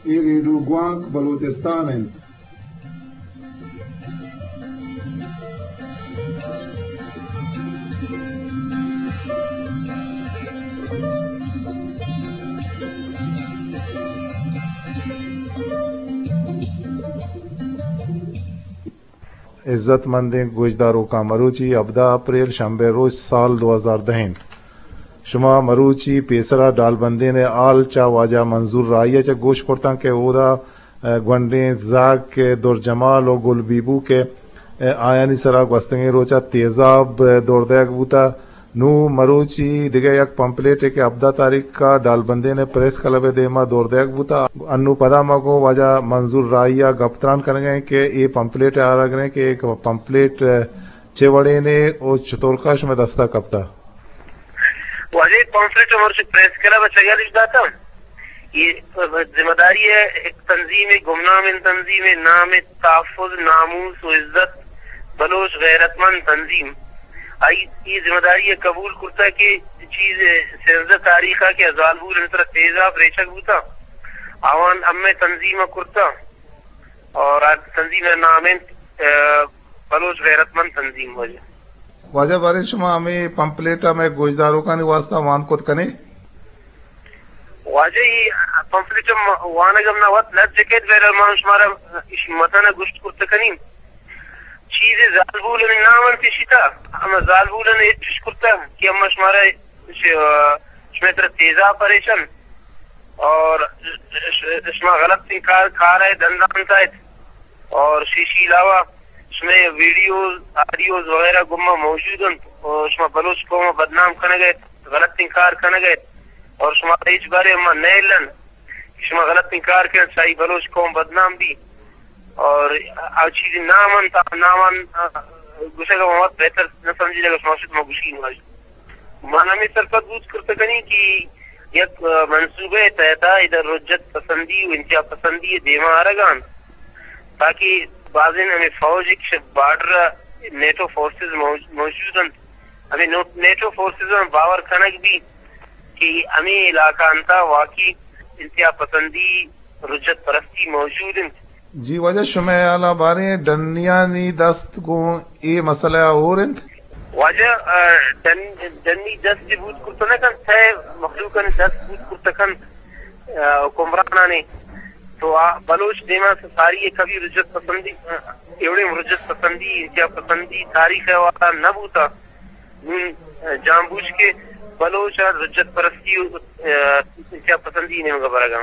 اے ریڈیو گوانک بلوچستان انت۔ عزت مندیں گوشداروکاں، مروچی ہبدہ اپریل شنبے روچ سال دو ہزار دہ انت۔ شما مروچی پیسرا ڈالبندین ء ہال چہ واجہ منظور راہی ء چہ گوش کرتاں کہ اودا، ء، گونڈیں زاگ کہ درجمال و گل بیبو کہ، ء، آیانی سرا گوستگیں روچا تیزاب، ء، دور دئیگ بوتا۔ نوں مروچی دگہ یک پمپلیٹے کہ ہبدہ تاریخ ء ڈالبندین ء پریس کلب ء دیما دور دئیگ بوتا۔ انوں پدا ما گوں واجہ منظور راہی ء گپ تران کنگ ء ایں کہ اے پمپلیٹ ء آرگ ء ایں کہ اے پمپلیٹ چے وڑینے او چطورکا شمئے دستا کپتا؟ واجہ، اے پمپلیٹ مرچی پریس کلب ء چگلش داتا۔ اے ذمہ داری ء یک تنظیم ء، گمنامیں تنظیم ء، نام ء تحفظ، ناموس و عزت، بلوچ غیرت مند تنظیم۔ آئی اے ذمہ داری ء قبول کرتا کہ چیز سیزدہ تاریخ ء کہ زالبول انت تیزاب ریچگ بوتا، آوان ہمے تنظیم ء کرتا اور آ تنظیم ء نام انت، ء، بلوچ غیرت مند تنظیم۔ واجہ، واجہ باریں شما ہمے پمپلیٹ ء مئے گوشداروکانی واسطہ وان کت کنے؟ واجہ، اے پمفلٹ ء وانگ ہم نہ وت لج جکیت، بہرحال ما شمارا ایشی متن ء گوشت کرت کنیں۔ چیزے زالبول ء نام انت ایشی تا، ہما زالبول ء اچش کرتا کہ ہما شمارا ش-، شمئے تر تیزا پریشن اور ش-، شما غلط کار، کار ہے دندان تا ہے۔ اور شیشی علاوہ شمئے ویڈیوز، آڈیوز وغیرہ گما موجود انت اور شما بلوچ قوم ء بدنام کنگ ء غلطیں کار کنگ ء اور شما ہچ بارے ما نئیلن کہ شما غلطیں کار کن، شاہی بلوچ قوم بدنام بی اور آ چیزیں نام انت، آ نامان گوشگ ء ما وت بہتر نہ سمجھیں، اگر شما شد ما گوشی نہ۔ من ہمے سرپد بوت کرت کنیں کہ یک، ء، منصوبہ ء تحت ء ادھر رجت پسندی و انتہا پسندی ء دیما آرگ ء انت، تاکہ بازیں ہمے فوج کہ شہ بارڈر ء نیٹو فورسز موج-، موجود انت، ہمے نو-، نیٹو فورسز ء باور کنگ بیت کہ ہمے علاقہ انت ء واقعی انتہا پسندی، رجت پرستی موجود انت۔ جی واجہ، شمئے ہیالا باریں ڈنیانی دست گوں اے مسئلہ ء ہور انت؟ واجہ، ء، ڈن-، ڈنی دست بوت کرت نہ کنت، سئے مخلوقانی دست بوت کرت کنت، ء، حکمرانانی۔ تو آ بلوچ دیما ساری کبھی رجت پسندی، ء، ایوڑیں رجت پسندی، انتہا پسندی تاریخ ء والا نہ بوتا۔ نون، ء، جان بوجھ کے بلوچ ء رجت پرستی، ء، انتہا پسندی نیمگا برگا۔